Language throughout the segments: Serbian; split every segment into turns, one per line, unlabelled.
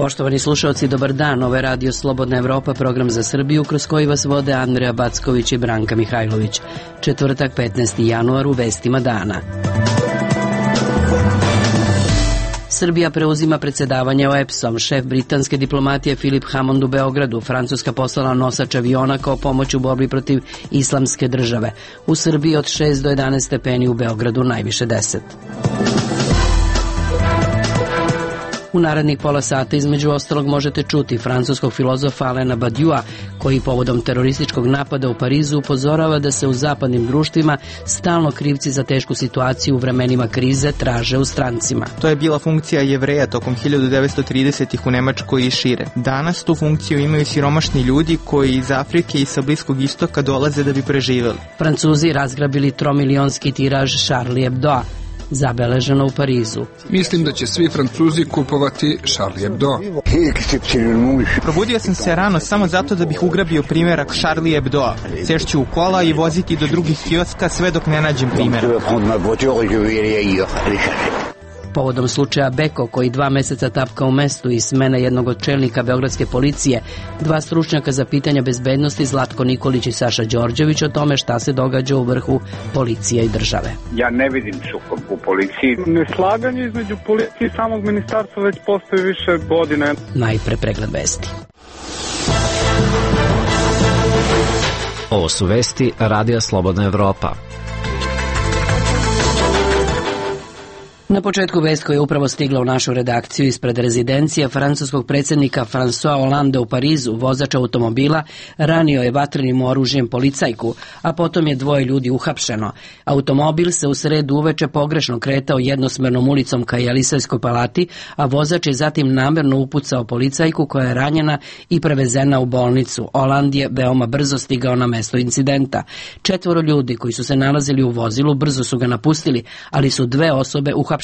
Poštovani slušalci, dobar dan. Ovo je Radio Slobodna Evropa, program za Srbiju, kroz koji vas vode Andreja Backović i Branka Mihajlović. Četvrtak, 15. januar, u vestima dana. Srbija preuzima predsedavanje OEBS-om. Šef britanske diplomatije Philip Hammond u Beogradu. Francuska poslala nosač aviona kao pomoć u borbi protiv islamske države. U Srbiji od 6 do 11 stepeni, u Beogradu najviše 10. U narednih pola sata između ostalog možete čuti francuskog filozofa Alena Badiua, koji povodom terorističkog napada u Parizu upozorava da se u zapadnim društvima stalno krivci za tešku situaciju u vremenima krize traže u strancima.
To je bila funkcija Jevreja tokom 1930-ih u Nemačkoj i šire. Danas tu funkciju imaju siromašni ljudi koji iz Afrike i sa Bliskog istoka dolaze da bi preživeli.
Francuzi razgrabili 3-milionski tiraž Charlie Hebdoa, zabeleženo u Parizu.
Mislim da će svi Francuzi kupovati Charlie Hebdo.
Probudio sam se rano samo zato da bih ugrabio primjerak Charlie Hebdoa. Sešću u kola i voziti do drugih kioska sve dok ne nađem primjerak.
Povodom slučaja Beko, koji 2 meseca tapka u mestu i smena jednog od čelnika beogradske policije, 2 stručnjaka za pitanja bezbednosti, Zlatko Nikolić i Saša Đorđević, o tome šta se događa u vrhu policije i države.
Ja ne vidim sukob u policiji.
Neslaganje između policije i samog ministarstva već postoji više godine.
Najpre pregled vesti.
Ovo su vesti Radija Slobodna Evropa.
Na početku vest koja je upravo stigla u našu redakciju ispred rezidencija francuskog predsjednika François Hollande u Parizu, vozač automobila ranio je vatrenim oružjem policajku, a potom je 2 ljudi uhapšeno. Automobil se u sredu uveče pogrešno kretao jednosmernom ulicom ka Jelisejskoj palati, a vozač je zatim namerno upucao policajku koja je ranjena i prevezena u bolnicu. Hollande je veoma brzo stigao na mesto incidenta. 4 ljudi koji su se nalazili u vozilu brzo su ga napustili, ali su 2 osobe uhapšene.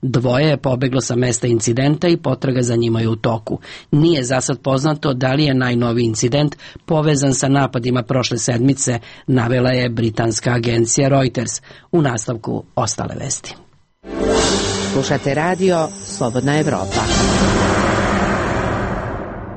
2 je pobeglo sa mesta incidenta i potraga za njima je u toku. Nije za sad poznato da li je najnoviji incident povezan sa napadima prošle sedmice, navela je britanska agencija Reuters. U nastavku ostale vesti.
Slušate radio Slobodna Evropa.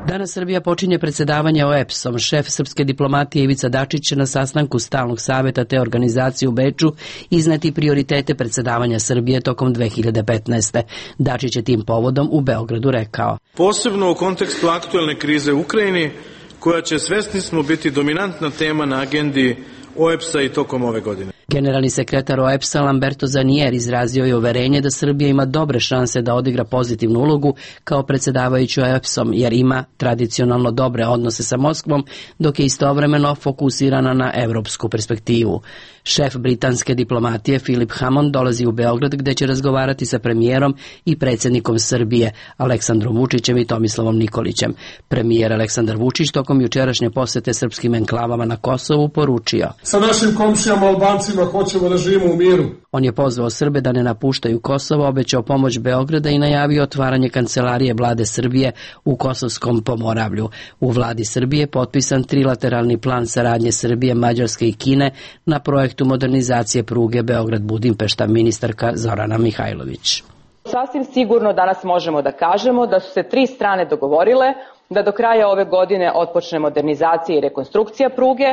Danas Srbija počinje predsedavanje OEBS-om. Šef srpske diplomatije Ivica Dačić će na sastanku stalnog saveta te organizacije u Beču izneti prioritete predsedavanja Srbije tokom 2015. Dačić je tim povodom u Beogradu rekao:
posebno u kontekstu aktuelne krize u Ukrajini, koja će, svesni smo, biti dominantna tema na agendi OEBS-a i tokom ove godine.
Generalni sekretar OEBS-a Lamberto Zanier izrazio je uverenje da Srbija ima dobre šanse da odigra pozitivnu ulogu kao predsjedavajući OEBS-om, jer ima tradicionalno dobre odnose sa Moskvom, dok je istovremeno fokusirana na evropsku perspektivu. Šef britanske diplomatije Philip Hammond dolazi u Beograd, gde će razgovarati sa premijerom i predsjednikom Srbije Aleksandrom Vučićem i Tomislavom Nikolićem. Premijer Aleksandar Vučić tokom jučerašnje posete srpskim enklavama na Kosovu poručio:
sa našim komšijama Albancima hoćemo da živimo u miru.
On je pozvao Srbe da ne napuštaju Kosovo, obećao pomoć Beograda i najavio otvaranje kancelarije vlade Srbije u Kosovskom Pomoravlju. U vladi Srbije potpisan trilateralni plan saradnje Srbije, Mađarske i Kine na projektu modernizacije pruge Beograd-Budimpešta, ministarka Zorana Mihajlović.
Sasvim sigurno danas možemo da kažemo da su se 3 strane dogovorile da do kraja ove godine otpočne modernizacija i rekonstrukcija pruge,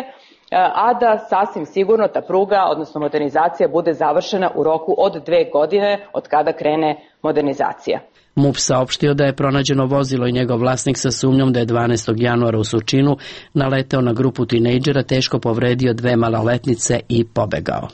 a da sasvim sigurno ta pruga, odnosno modernizacija, bude završena u roku od 2 godine od kada krene modernizacija.
MUP saopštio da je pronađeno vozilo i njegov vlasnik sa sumnjom da je 12. januara u Surčinu naleteo na grupu tinejdžera, teško povredio 2 maloletnice i pobegao.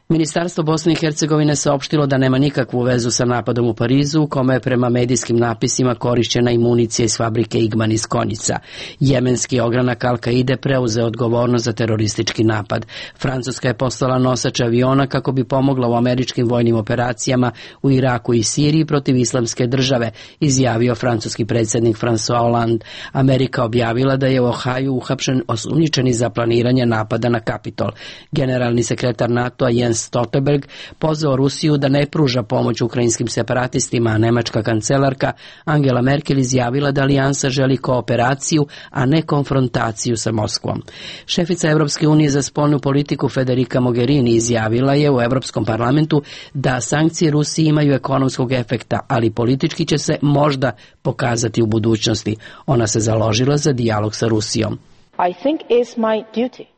Ministarstvo Bosne i Hercegovine saopštilo da nema nikakvu vezu sa napadom u Parizu, u kome je prema medijskim napisima korišćena i municija iz fabrike Igman iz Konjica. Jemenski ogranak Al-Kaide preuzeo odgovornost za teroristički napad. Francuska je poslala nosač aviona kako bi pomogla u američkim vojnim operacijama u Iraku i Siriji protiv islamske države, izjavio francuski predsjednik François Hollande. Amerika objavila da je u Ohaju uhapšen osumnjičeni za planiranje napada na Kapitol. Generalni sekretar NATO-a Jens Stoltenberg pozvao Rusiju da ne pruža pomoć ukrajinskim separatistima, a nemačka kancelarka Angela Merkel izjavila da alijansa želi kooperaciju, a ne konfrontaciju sa Moskvom. Šefica Evropske unije za spoljnu politiku Federica Mogherini izjavila je u Evropskom parlamentu da sankcije Rusiji imaju ekonomskog efekta, ali politički će se možda pokazati u budućnosti. Ona se založila za dijalog sa Rusijom.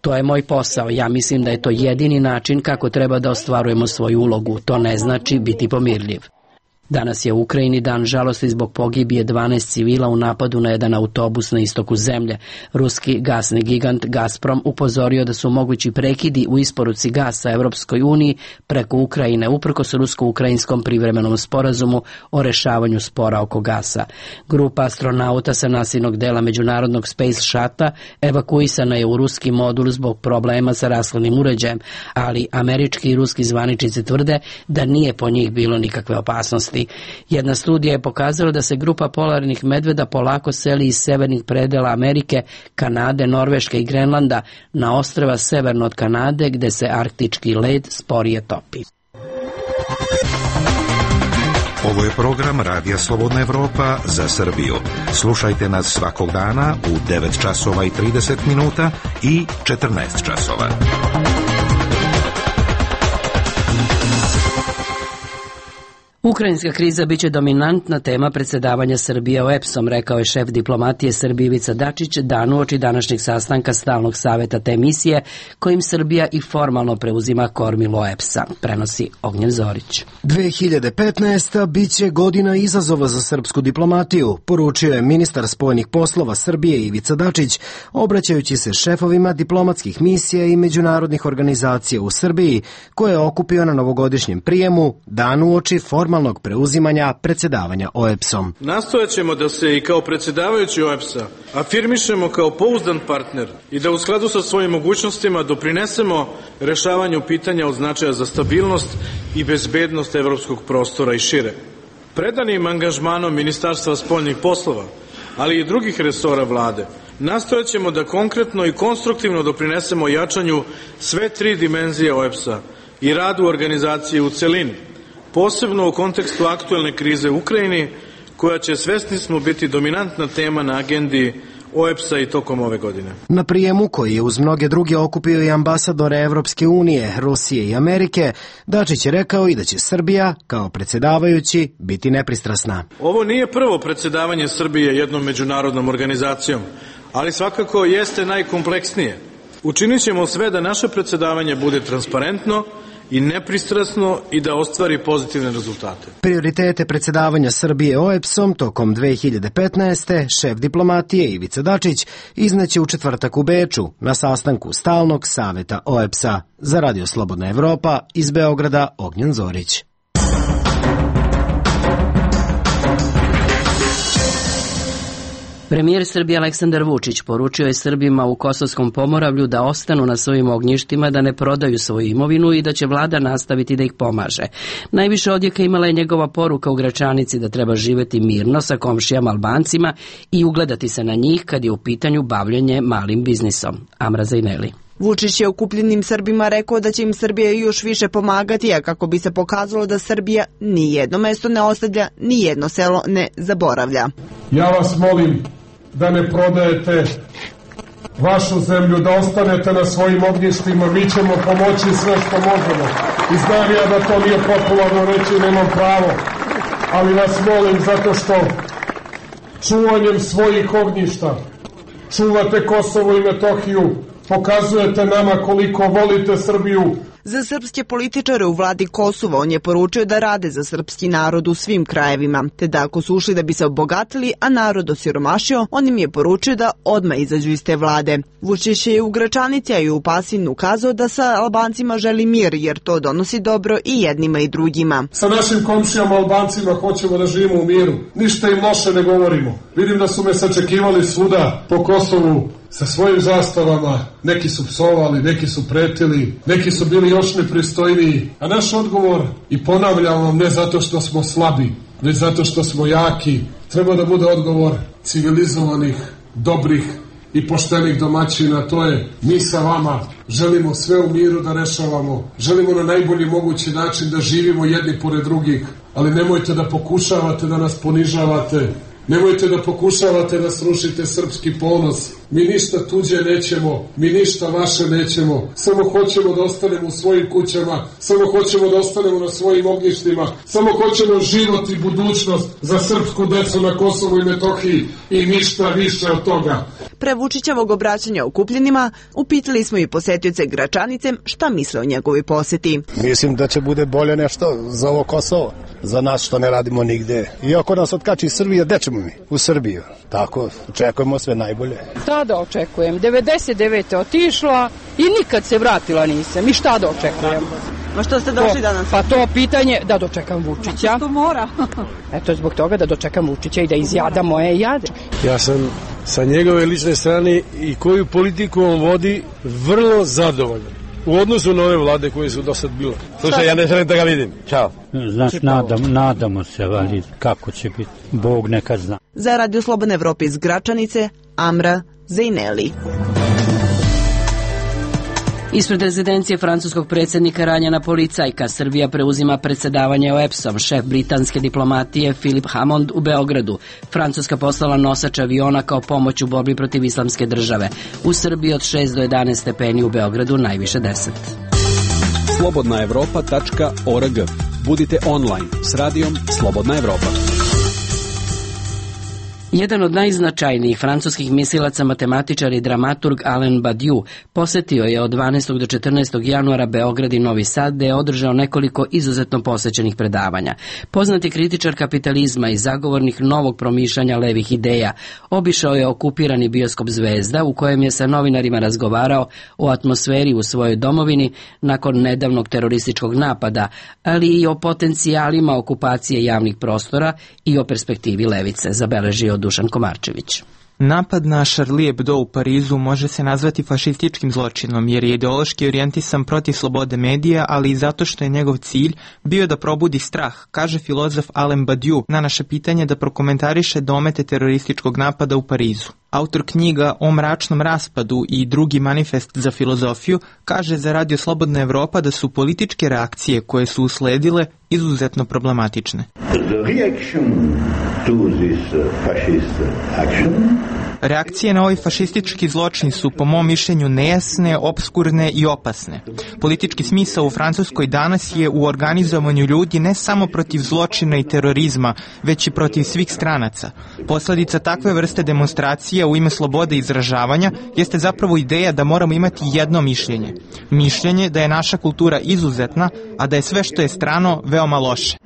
To je moj posao. Ja mislim da je to jedini način kako treba da ostvarujemo svoju ulogu. To ne znači biti pomirljiv. Danas je u Ukrajini dan žalosti zbog pogibije 12 civila u napadu na jedan autobus na istoku zemlje. Ruski gasni gigant Gazprom upozorio da su mogući prekidi u isporuci gasa Evropskoj uniji preko Ukrajine uprkos rusko-ukrajinskom privremenom sporazumu o rešavanju spora oko gasa. Grupa astronauta sa nasilnog dela međunarodnog Space Shuttle evakuisana je u ruski modul zbog problema sa rashladnim uređajem, ali američki i ruski zvaničnici tvrde da nije po njih bilo nikakve opasnosti. Jedna studija je pokazala da se grupa polarnih medveda polako seli iz severnih predela Amerike, Kanade, Norveške i Grenlanda na ostrva severno od Kanade, gde se arktički led sporije topi.
Ovo je program Radija Slobodna Evropa za Srbiju. Slušajte nas svakog dana u 9 časova i 30 minuta i 14 časova.
Ukrajinska kriza biće dominantna tema predsedavanja Srbije OEBS-om, rekao je šef diplomatije Srbije Ivica Dačić dan uoči današnjeg sastanka stalnog saveta te misije, kojim Srbija i formalno preuzima kormilo OEBS-a, prenosi Ognjen Zorić.
2015. biće godina izazova za srpsku diplomatiju, poručio je ministar spoljnih poslova Srbije Ivica Dačić, obraćajući se šefovima diplomatskih misija i međunarodnih organizacija u Srbiji, koje je okupio na novogodišnjem prijemu dan uoči formalnog preuzimanja predsedavanja OEBS-om.
Nastojat ćemo da se i kao predsedavajući OEBS-a afirmišemo kao pouzdan partner i da u skladu sa svojim mogućnostima doprinesemo rešavanju pitanja od značaja za stabilnost i bezbednost evropskog prostora i šire. Predanim angažmanom Ministarstva spoljnih poslova, ali i drugih resora vlade, nastojat ćemo da konkretno i konstruktivno doprinesemo jačanju sve tri dimenzije OEBS-a i radu organizacije u celini, posebno u kontekstu aktuelne krize u Ukrajini, koja će, svesni smo, biti dominantna tema na agendi OEBS-a i tokom ove godine.
Na prijemu, koji je uz mnoge druge okupio i ambasadore Evropske unije, Rusije i Amerike, Dačić je rekao i da će Srbija, kao predsedavajući, biti nepristrasna.
Ovo nije prvo predsedavanje Srbije jednom međunarodnom organizacijom, ali svakako jeste najkompleksnije. Učinit ćemo sve da naše predsedavanje bude transparentno i nepristrasno i da ostvari pozitivne rezultate.
Prioritete predsedavanja Srbije OEBS-om tokom 2015. šef diplomatije Ivica Dačić izneće u četvrtak u Beču na sastanku stalnog saveta OEBS-a. Za Radio Slobodna Evropa iz Beograda Ognjen Zorić.
Premijer Srbije Aleksandar Vučić poručio je Srbima u Kosovskom Pomoravlju da ostanu na svojim ognjištima, da ne prodaju svoju imovinu i da će vlada nastaviti da ih pomaže. Najviše odjeka imala je njegova poruka u Gračanici da treba živeti mirno sa komšijama Albancima i ugledati se na njih kad je u pitanju bavljenje malim biznisom. Amra Zajneli.
Vučić je okupljenim Srbima rekao da će im Srbija još više pomagati, a kako bi se pokazalo da Srbija ni jedno mesto ne ostavlja, ni jedno selo ne zaboravlja.
Ja vas molim da ne prodajete vašu zemlju, da ostanete na svojim ognjištima, mi ćemo pomoći sve što možemo. I znam ja da to nije popularno reći, nemam pravo, ali vas molim zato što čuvanjem svojih ognjišta čuvate Kosovo i Metohiju, pokazujete nama koliko volite Srbiju.
Za srpske političare u vladi Kosova on je poručio da rade za srpski narod u svim krajevima, te da ako su ušli da bi se obogatili, a narod osiromašio, on im je poručio da odmah izađu iz te vlade. Vučić je u Gračanici, a i u Pasinu ukazao da sa Albancima želi mir, jer to donosi dobro i jednima i drugima.
Sa našim komšijama Albancima hoćemo da živimo u miru. Ništa im loše ne govorimo. Vidim da su me sačekivali svuda po Kosovu sa svojim zastavama, neki su psovali, neki su pretili, neki su bili još nepristojniji. A naš odgovor, i ponavljam vam, ne zato što smo slabi, već zato što smo jaki, treba da bude odgovor civilizovanih, dobrih i poštenih domaćina, to je mi sa vama želimo sve u miru da rešavamo, želimo na najbolji mogući način da živimo jedni pored drugih, ali nemojte da pokušavate da nas ponižavate, nemojte da pokušavate da srušite srpski ponos. Mi ništa tuđe nećemo, mi ništa vaše nećemo, samo hoćemo da ostanemo u svojim kućama, samo hoćemo da ostanemo na svojim ognjištima, samo hoćemo život i budućnost za srpsku decu na Kosovu i Metohiji i ništa više od toga.
Pre Vučićevog obraćanja okupljenima upitali smo i posetioce Gračanice šta misle o njegovoj poseti.
Mislim da će bude bolje nešto za ovo Kosovo, za nas što ne radimo nigde. Iako nas otkači Srbija, gde ćemo mi? U Srbiju. Tako, očekujemo sve najbolje.
Šta da očekujem? 99. otišla i nikad se vratila nisam. I šta da očekujem?
Ma što ste došli danas?
Pa to pitanje da dočekam Vučića.
Što mora?
Eto, zbog toga da dočekam Vučića i da izjada moje jade.
Ja sam sa njegove lične strane i koju politiku on vodi vrlo zadovoljan. U odnosu na ove vlade koje su do sad bile. Slušaj, ja ne želim da ga vidim. Ćao.
Znaš, nadamo se, ali kako će biti, Bog neka zna.
Za Radio Slobodne Evrope iz Gračanice, Amra Zejneli.
Ispred rezidencije francuskog predsjednika ranjena policajka. Srbija preuzima predsjedavanje OEBS-om. Šef britanske diplomatije Philip Hammond u Beogradu. Francuska poslala nosač aviona kao pomoć u borbi protiv islamske države. U Srbiji od 6 do 11 stepeni, u Beogradu najviše 10.
slobodnaevropa.org. Budite online s radijom Slobodna Evropa.
Jedan od najznačajnijih francuskih mislilaca, matematičar i dramaturg Alain Badiou posetio je od 12. do 14. januara Beograd i Novi Sad, gde je održao nekoliko izuzetno posvećenih predavanja. Poznati kritičar kapitalizma i zagovornik novog promišljanja levih ideja obišao je okupirani bioskop Zvezda, u kojem je sa novinarima razgovarao o atmosferi u svojoj domovini nakon nedavnog terorističkog napada, ali i o potencijalima okupacije javnih prostora i o perspektivi levice, zabeležio Dušan Komarčević.
Napad na Charlie Hebdo u Parizu može se nazvati fašističkim zločinom jer je ideološki orijentisan protiv slobode medija, ali i zato što je njegov cilj bio da probudi strah, kaže filozof Alain Badiou na naše pitanje da prokomentariše domete terorističkog napada u Parizu. Autor knjiga O mračnom raspadu i drugi manifest za filozofiju kaže za Radio Slobodna Evropa da su političke reakcije koje su usledile izuzetno problematične. Reakcije na ovaj fašistički zločin su po mom mišljenju nejasne, opskurne i opasne. Politički smisao u Francuskoj danas je u organizovanju ljudi ne samo protiv zločina i terorizma, već i protiv svih stranaca. Posledica takve vrste demonstracija u ime slobode izražavanja jeste zapravo ideja da moramo imati jedno mišljenje. Mišljenje da je naša kultura izuzetna, a da je sve što je strano veoma loše.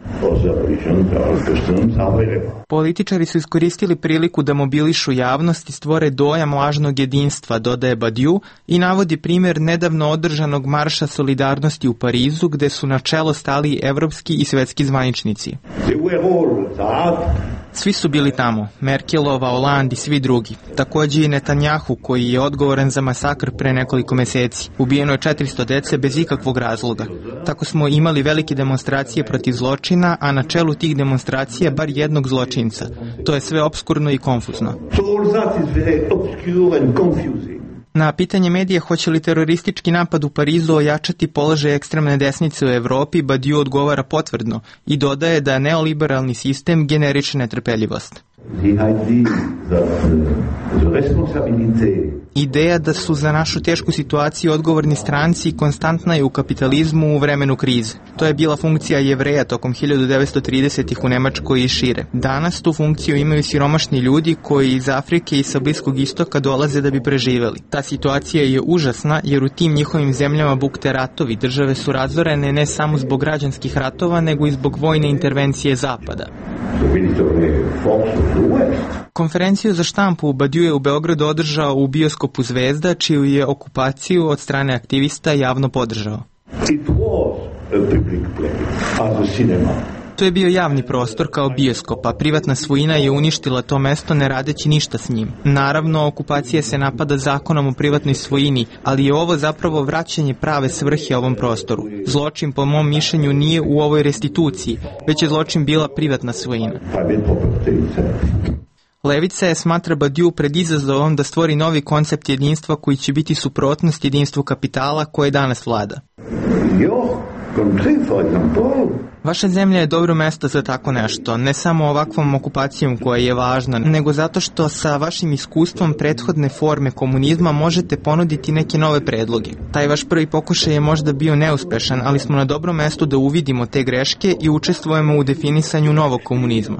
Političari su iskoristili priliku da mobilišu javnost i stvore dojam lažnog jedinstva, dodaje Badiou, i navodi primjer nedavno održanog marša solidarnosti u Parizu, gde su na čelo stali evropski i svetski zvaničnici. Svi su bili tamo, Merkelova, Hollande i svi drugi. Takođe i Netanjahu, koji je odgovoran za masakr pre nekoliko meseci. Ubijeno je 400 dece bez ikakvog razloga. Tako smo imali velike demonstracije protiv zločina, a na čelu tih demonstracija bar jednog zločinca. To je sve opskurno i konfuzno. Na pitanje medija hoće li teroristički napad u Parizu ojačati položaj ekstremne desnice u Evropi, Badiou odgovara potvrdno i dodaje da neoliberalni sistem generiše netrpeljivost. Ideja da su za našu tešku situaciju odgovorni stranci konstantna je u kapitalizmu u vremenu krize. To je bila funkcija Jevreja tokom 1930-ih u Nemačkoj i šire. Danas tu funkciju imaju siromašni ljudi koji iz Afrike i sa Bliskog istoka dolaze da bi preživeli. Ta situacija je užasna jer u tim njihovim zemljama bukte ratovi, države su razorene ne samo zbog građanskih ratova, nego i zbog vojne intervencije Zapada. Konferenciju za štampu Badiou je u Beogradu održao u bioskopu Zvezda, čiju je okupaciju od strane aktivista javno podržao. To je bio javni prostor kao bioskop, a privatna svojina je uništila to mesto ne radeći ništa s njim. Naravno, okupacija se napada zakonom o privatnoj svojini, ali je ovo zapravo vraćanje prave svrhe ovom prostoru. Zločin, po mom mišljenju, nije u ovoj restituciji, već je zločin bila privatna svojina. Levica je, smatra Badiou, pred izazovom da stvori novi koncept jedinstva koji će biti suprotnost jedinstvu kapitala koje danas vlada. Vaša zemlja je dobro mesto za tako nešto, ne samo ovakvom okupacijom koja je važna, nego zato što sa vašim iskustvom prethodne forme komunizma možete ponuditi neke nove predloge. Taj vaš prvi pokušaj je možda bio neuspešan, ali smo na dobrom mestu da uvidimo te greške i učestvujemo u definisanju novog komunizma.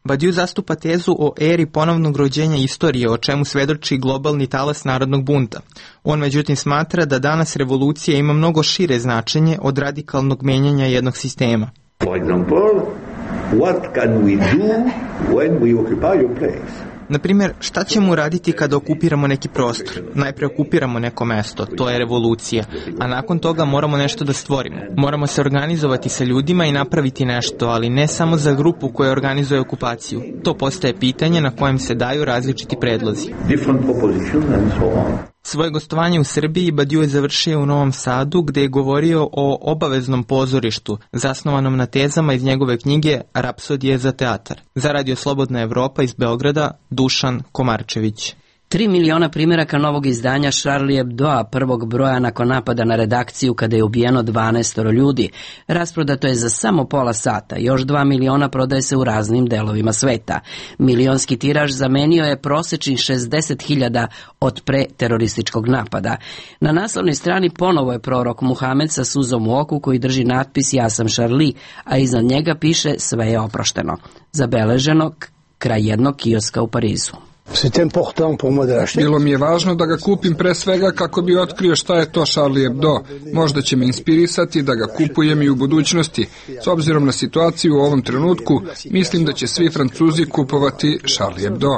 Badiou zastupa tezu o eri ponovnog rođenja istorije, o čemu svedoči globalni talas narodnog bunta. On međutim smatra da danas revolucija ima mnogo šire značenje od radikalnog menjanja jednog sistema.
For example, what can we do when we occupy your place?
Naprimjer, šta ćemo uraditi kada okupiramo neki prostor? Najpre okupiramo neko mesto, to je revolucija, a nakon toga moramo nešto da stvorimo. Moramo se organizovati sa ljudima i napraviti nešto, ali ne samo za grupu koja organizuje okupaciju. To postaje pitanje na kojem se daju različiti predlozi. Svoje gostovanje u Srbiji Badiou je završio u Novom Sadu, gde je govorio o obaveznom pozorištu, zasnovanom na tezama iz njegove knjige Rapsodije za teatar. Za Radio Slobodna Evropa iz Beograda, Dušan Komarčević.
3 miliona primjeraka novog izdanja Charlie Hebdoa, prvog broja nakon napada na redakciju kada je ubijeno 12 ljudi. Rasprodato je za samo pola sata, još 2 miliona prodaje se u raznim delovima sveta. Milionski tiraž zamenio je prosečnih 60.000 od pre-terorističkog napada. Na naslovnoj strani ponovo je prorok Muhamed sa suzom u oku koji drži natpis Ja sam Charlie, a iznad njega piše Sve je oprošteno. Zabeleženo kraj jednog kioska u Parizu.
Bilo mi je važno da ga kupim pre svega kako bi otkrio šta je to Charlie Hebdo. Možda će me inspirisati da ga kupujem i u budućnosti. S obzirom na situaciju u ovom trenutku, mislim da će svi Francuzi kupovati Charlie Hebdo.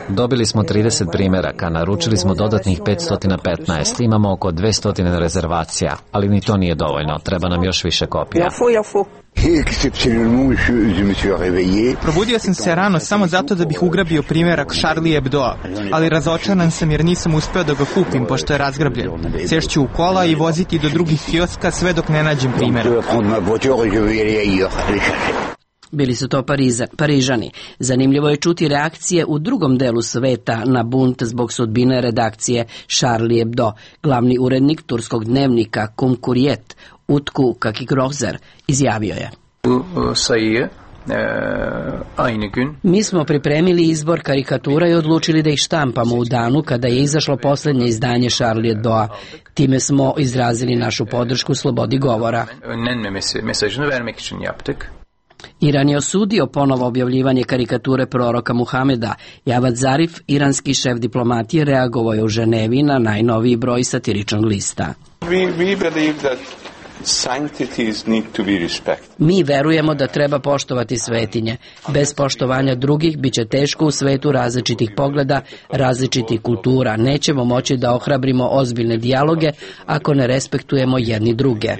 Dobili smo 30 primjeraka, naručili smo dodatnih 515, imamo oko 200 rezervacija, ali ni to nije dovoljno, treba nam još više kopija.
Probudio sam se rano samo zato da bih ugrabio primjerak Charlie Hebdoa, ali razočaran sam jer nisam uspeo da ga kupim pošto je razgrabljen. Sešću u kola i voziti do drugih kioska sve dok ne nađem primjerak.
Bili su to Parižani. Zanimljivo je čuti reakcije u drugom delu sveta na bunt zbog sudbine redakcije Charlie Hebdo. Glavni urednik turskog dnevnika Cumhuriyet, Utku Kakigrozer, izjavio je: Mi smo pripremili izbor karikatura i odlučili da ih štampamo u danu kada je izašlo posljednje izdanje Charlie Hebdoa. Time smo izrazili našu podršku slobodi govora. Iran je osudio ponovo objavljivanje karikature proroka Muhameda. Javad Zarif, iranski šef diplomatije, reagovao je u Ženevi na najnoviji broj satiričnog lista. Mi verujemo da treba poštovati svetinje. Bez poštovanja drugih bit će teško u svetu različitih pogleda, različitih kultura. Nećemo moći da ohrabrimo ozbiljne dijaloge ako ne respektujemo jedni druge.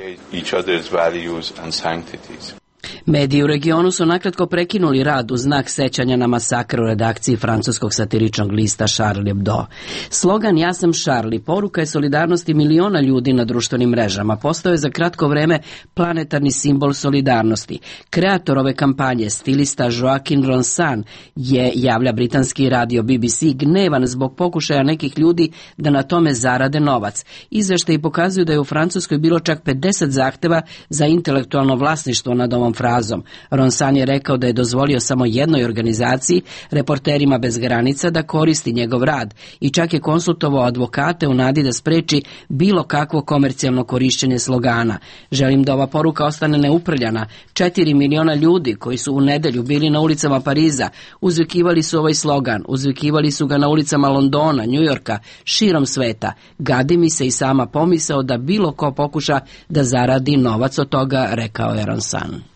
Mediji u regionu su nakratko prekinuli rad u znak sećanja na masakr u redakciji francuskog satiričnog lista Charlie Hebdo. Slogan Ja sam Charlie, poruka je solidarnosti miliona ljudi na društvenim mrežama. Postao je za kratko vreme planetarni simbol solidarnosti. Kreator ove kampanje, stilista Joaquin Ronsan, je, javlja britanski radio BBC, gnevan zbog pokušaja nekih ljudi da na tome zarade novac. Izveštaji pokazuju da je u Francuskoj bilo čak 50 zahteva za intelektualno vlasništvo nad ovom frazom. Ronsan je rekao da je dozvolio samo jednoj organizaciji, Reporterima bez granica, da koristi njegov rad i čak je konsultovao advokate u nadi da spreči bilo kakvo komercijalno korišćenje slogana. Želim da ova poruka ostane neuprljana. 4 miliona ljudi koji su u nedelju bili na ulicama Pariza uzvikivali su ovaj slogan, uzvikivali su ga na ulicama Londona, Njujorka, širom sveta. Gadi mi se i sama pomisao da bilo ko pokuša da zaradi novac od toga, rekao je Ronsan.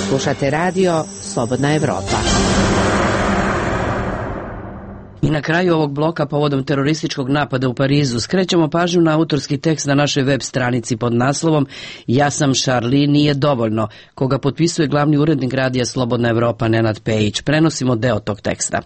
Slušate radio Slobodna Evropa.
I na kraju ovog bloka povodom terorističkog napada u Parizu skrećemo pažnju na autorski tekst na našoj web stranici pod naslovom Ja sam Charlie, nije dovoljno, koga potpisuje glavni urednik radija Slobodna Evropa Nenad Pejić. Prenosimo deo tog teksta.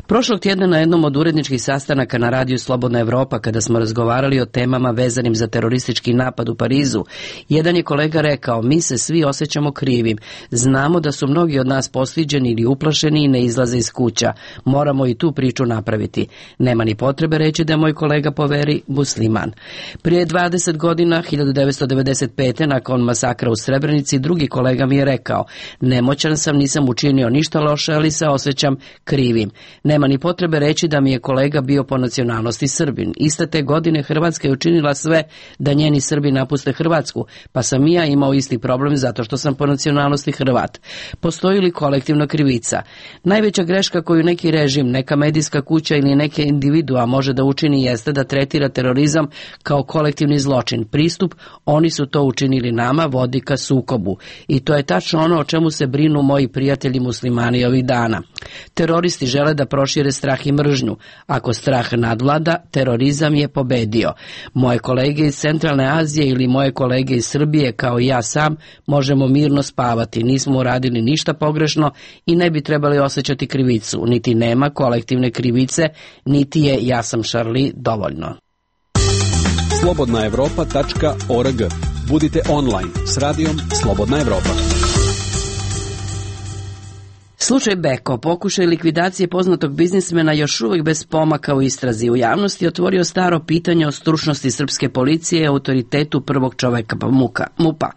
Prošlog tjedna na jednom od uredničkih sastanaka na radiju Slobodna Evropa, kada smo razgovarali o temama vezanim za teroristički napad u Parizu, jedan je kolega rekao: mi se svi osjećamo krivim. Znamo da su mnogi od nas postiđeni ili uplašeni i ne izlaze iz kuća. Moramo i tu priču napraviti. Nema ni potrebe reći da je moj kolega po veri musliman. Prije 20 godina, 1995. nakon masakra u Srebrenici, drugi kolega mi je rekao: nemoćan sam, nisam učinio ništa loše, ali se osjećam krivim. Nema ni potrebe reći da mi je kolega bio po nacionalnosti Srbin. Iste te godine Hrvatska je učinila sve da njeni Srbi napuste Hrvatsku, pa sam i ja imao isti problem zato što sam po nacionalnosti Hrvat. Postoji li kolektivna krivica? Najveća greška koju neki režim, neka medijska kuća ili neke individua može da učini jeste da tretira terorizam kao kolektivni zločin. Pristup, oni su to učinili nama, vodi ka sukobu. I to je tačno ono o čemu se brinu moji prijatelji muslimani ovih dana. Teroristi žele da prošire strah i mržnju. Ako strah nadvlada, terorizam je pobedio. Moje kolege iz Centralne Azije ili moje kolege iz Srbije, kao i ja sam, možemo mirno spavati. Nismo uradili ništa pogrešno i ne bi trebali osjećati krivicu. Niti nema kolektivne krivice, niti je Ja sam Charlie dovoljno.
slobodnaevropa.org. Budite online s radijom Slobodna Evropa.
Slučaj Beko, pokušaj likvidacije poznatog biznismena, još uvijek bez pomaka u istrazi. U javnosti otvorio staro pitanje o stručnosti srpske policije i autoritetu prvog čoveka MUP-a.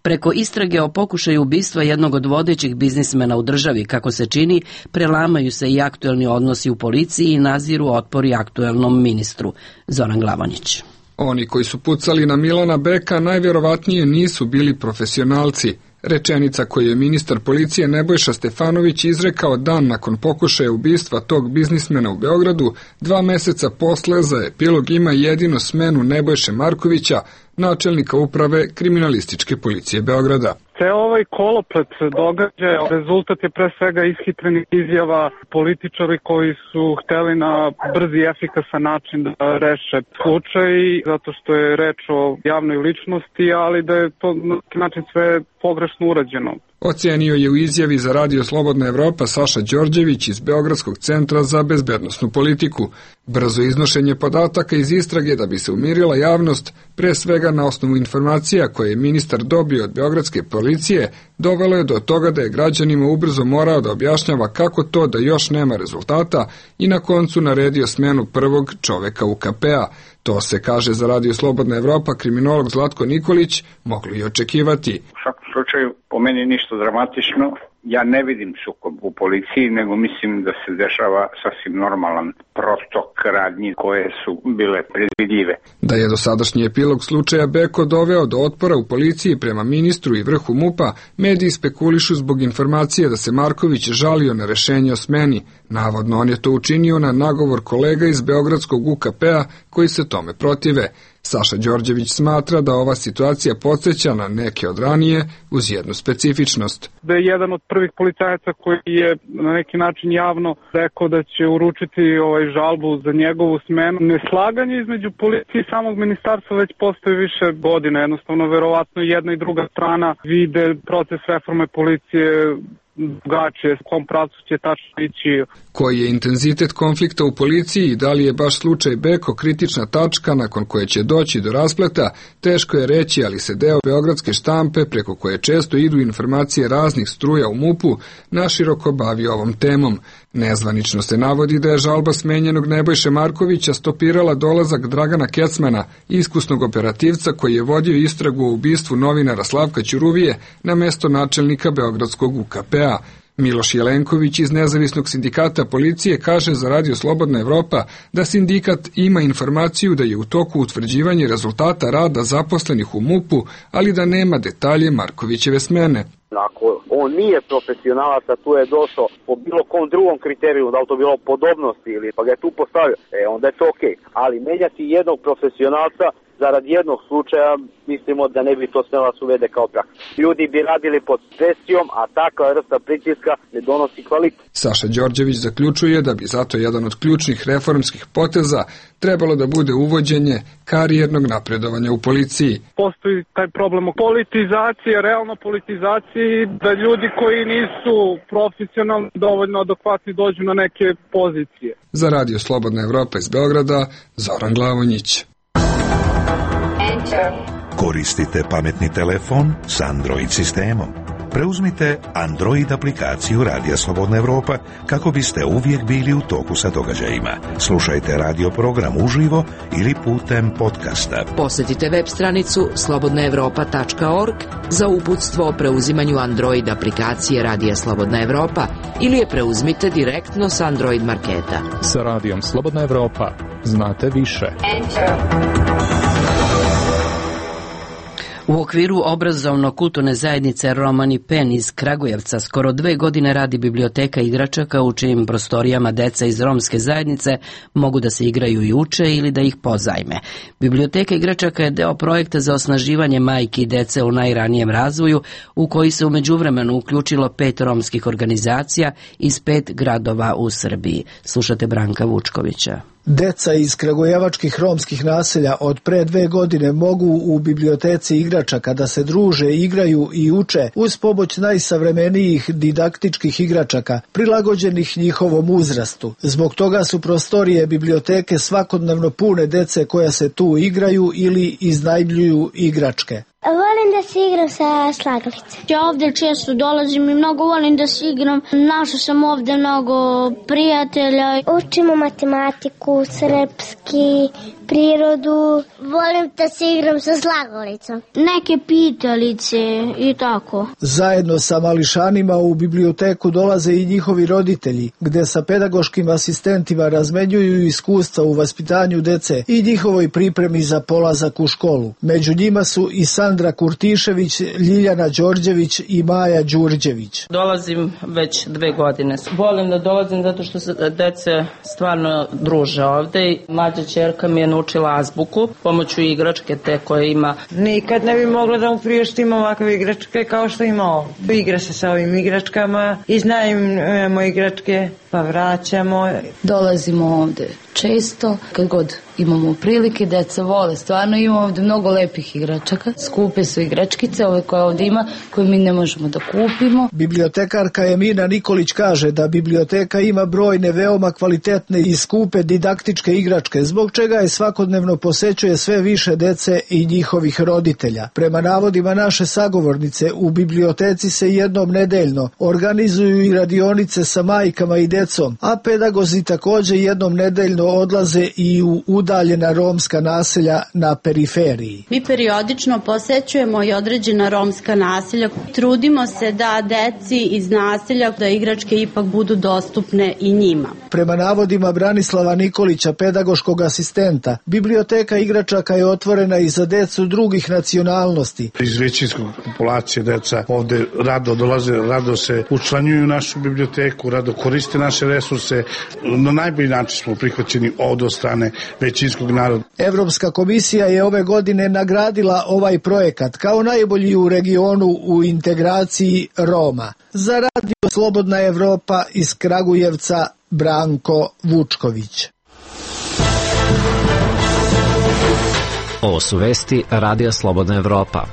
Preko istrage o pokušaju ubistva jednog od vodećih biznismena u državi, kako se čini, prelamaju se i aktuelni odnosi u policiji i naziru otpori aktuelnom ministru. Zoran Glavonjić.
Oni koji su pucali na Milana Beka najvjerovatnije nisu bili profesionalci. Rečenica koju je ministar policije Nebojša Stefanović izrekao dan nakon pokušaja ubistva tog biznismena u Beogradu, 2 meseca posle za epilog ima jedino smenu Nebojše Markovića, načelnika uprave kriminalističke policije Beograda.
Ceo ovaj koloplet događaja rezultat je pre svega ishitrenih izjava političari koji su hteli na brzi i efikasan način da reše slučaj, zato što je reč o javnoj ličnosti, ali da je to na neki način sve pogrešno urađeno.
Ocenio je u izjavi za radio Slobodna Evropa Saša Đorđević iz Beogradskog centra za bezbednosnu politiku. Brzo iznošenje podataka iz istrage da bi se umirila javnost, pre svega na osnovu informacija koje je ministar dobio od beogradske policije, dovelo je do toga da je građanima ubrzo morao da objašnjava kako to da još nema rezultata i na koncu naredio smenu prvog čoveka UKP-a. To se, kaže za radio Slobodna Evropa kriminolog Zlatko Nikolić, moglo i očekivati.
U svakom slučaju, po meni ništa dramatično. Ja ne vidim sukob u policiji, nego mislim da se dešava sasvim normalan protok radnji koje su bile predvidljive.
Da je dosadašnji epilog slučaja Beko doveo do otpora u policiji prema ministru i vrhu MUP-a, mediji spekulišu zbog informacije da se Marković žalio na rešenje o smeni. Navodno, on je to učinio na nagovor kolega iz beogradskog UKP-a koji se tome protive. Saša Đorđević smatra da ova situacija podsjeća na neke od ranije uz jednu specifičnost.
Da je jedan od prvih policajaca koji je na neki način javno rekao da će uručiti žalbu za njegovu smenu. Neslaganje između policije i samog ministarstva već postoji više godina. Jednostavno, verovatno jedna i druga strana vide proces reforme policije drugačije, s kom pravcu će tačno ići.
Koji je intenzitet konflikta u policiji i da li je baš slučaj Beko kritična tačka nakon koje će doći do raspleta, teško je reći, ali se deo beogradske štampe, preko koje često idu informacije raznih struja u MUP-u, naširoko bavi ovom temom. Nezvanično se navodi da je žalba smenjenog Nebojše Markovića stopirala dolazak Dragana Kecmana, iskusnog operativca koji je vodio istragu o ubistvu novinara Slavka Ćuruvije na mesto načelnika beogradskog UKP-a. Miloš Jelenković iz Nezavisnog sindikata policije kaže za radio Slobodna Evropa da sindikat ima informaciju da je u toku utvrđivanje rezultata rada zaposlenih u MUP-u, ali da nema detalje Markovićeve smene.
Ako on nije profesionalac, a tu je došao po bilo kom drugom kriteriju, da li to bilo podobnosti ili pa ga je tu postavio, onda je to okej. Ali menjati jednog profesionalca zarad jednog slučaja mislimo da ne bi to smela se uvede kao praksa. Ljudi bi radili pod presijom, a takva vrsta pritiska ne donosi kvalitet.
Saša Đorđević zaključuje da bi zato jedan od ključnih reformskih poteza trebalo da bude uvođenje karijernog napredovanja u policiji.
Postoji taj problem o politizaciji, realno politizaciji, da ljudi koji nisu profesionalno dovoljno adekvatni dođu na neke pozicije.
Za Radio Slobodna Evropa iz Beograda, Zoran Glavonjić.
Koristite pametni telefon s Android sistemom. Preuzmite Android aplikaciju Radija Slobodna Evropa kako biste uvijek bili u toku sa događajima. Slušajte radio program uživo ili putem podcasta.
Posjetite web stranicu slobodnaevropa.org za uputstvo o preuzimanju Android aplikacije Radija Slobodna Evropa ili je preuzmite direktno s Android marketa.
Sa Radijom Slobodna Evropa znate više.
U okviru obrazovno-kulturne zajednice Romani Pen iz Kragujevca skoro 2 godine radi biblioteka igračaka u čijim prostorijama deca iz romske zajednice mogu da se igraju i uče ili da ih pozajme. Biblioteka igračaka je deo projekta za osnaživanje majki i dece u najranijem razvoju u koji se u međuvremenu uključilo 5 romskih organizacija iz 5 gradova u Srbiji. Slušate Branka Vučkovića.
Deca iz kragujevačkih romskih naselja od pre 2 godine mogu u biblioteci igračaka da se druže, igraju i uče uz pomoć najsavremenijih didaktičkih igračaka prilagođenih njihovom uzrastu. Zbog toga su prostorije biblioteke svakodnevno pune dece koja se tu igraju ili iznajmljuju igračke.
Volim da se igram sa slagalice. Ja ovdje često dolazim i mnogo volim da se igram. Našao sam ovdje mnogo prijatelja. Učimo matematiku, srpski, prirodu. Volim da se igram sa slagalicom. Neke pitalice i tako.
Zajedno sa mališanima u biblioteku dolaze i njihovi roditelji, gde sa pedagoškim asistentima razmenjuju iskustva u vaspitanju dece i njihovoj pripremi za polazak u školu. Među njima su i Sandra Kurtišević, Ljiljana Đorđević i Maja Đurđević.
Dolazim već 2 godine. Volim da dolazim zato što se dece stvarno druže ovde i mlađa ćerka mi je naučila azbuku pomoću igračke te koje ima.
Nikad ne bi mogla da mu priuštim ovakve igračke kao što ima ovdje. Igra se sa ovim igračkama, iznajmimo igračke pa vraćamo.
Dolazimo ovde često, kad god imamo prilike, deca vole. Stvarno imamo ovde mnogo lepih igračaka. Skupe su igračkice, ove koje ovde ima, koje mi ne možemo da kupimo.
Bibliotekarka Emina Nikolić kaže da biblioteka ima brojne veoma kvalitetne i skupe didaktičke igračke, zbog čega je svakodnevno posećuje sve više dece i njihovih roditelja. Prema navodima naše sagovornice, u biblioteci se jednom nedeljno organizuju i radionice sa majkama i decom, a pedagozi takođe jednom nedeljno odlaze i u udaljena romska naselja na periferiji.
Mi periodično posećujemo i određena romska naselja. Trudimo se da deci iz naselja da igračke ipak budu dostupne i njima.
Prema navodima Branislava Nikolića, pedagoškog asistenta, biblioteka igračaka je otvorena i za decu drugih nacionalnosti.
Iz većinskog populacije deca ovde rado dolaze, rado se učlanjuju u našu biblioteku, rado koriste naše resurse. Na najbolji način smo prihvaćeni od strane većinskog naroda.
Evropska komisija je ove godine nagradila ovaj projekat kao najbolji u regionu u integraciji Roma. Za Radio Slobodna Evropa iz Kragujevca, Branko Vučković.
Ovo su vesti Radija Slobodna Evropa.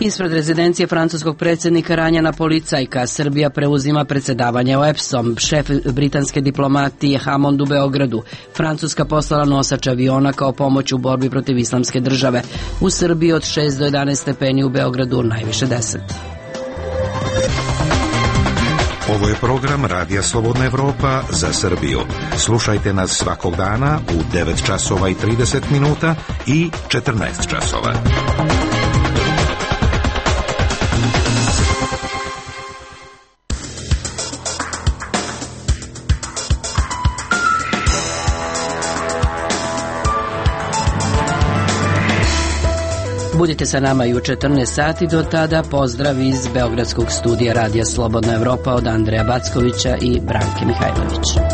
Ispred rezidencije francuskog predsjednika ranjena policajka. Srbija preuzima predsjedavanje OEBS-om. Šef britanske diplomatije Hammond u Beogradu. Francuska poslala nosač aviona kao pomoć u borbi protiv islamske države. U Srbiji od 6 do 11 stepeni, u Beogradu najviše 10.
Ovo je program Radija Slobodna Evropa za Srbiju. Slušajte nas svakog dana u 9 časova i 30 minuta i 14 časova.
Budite sa nama i u 14 sati, do tada pozdrav iz Beogradskog studija Radija Slobodna Evropa od Andreja Backovića i Branke Mihajlović.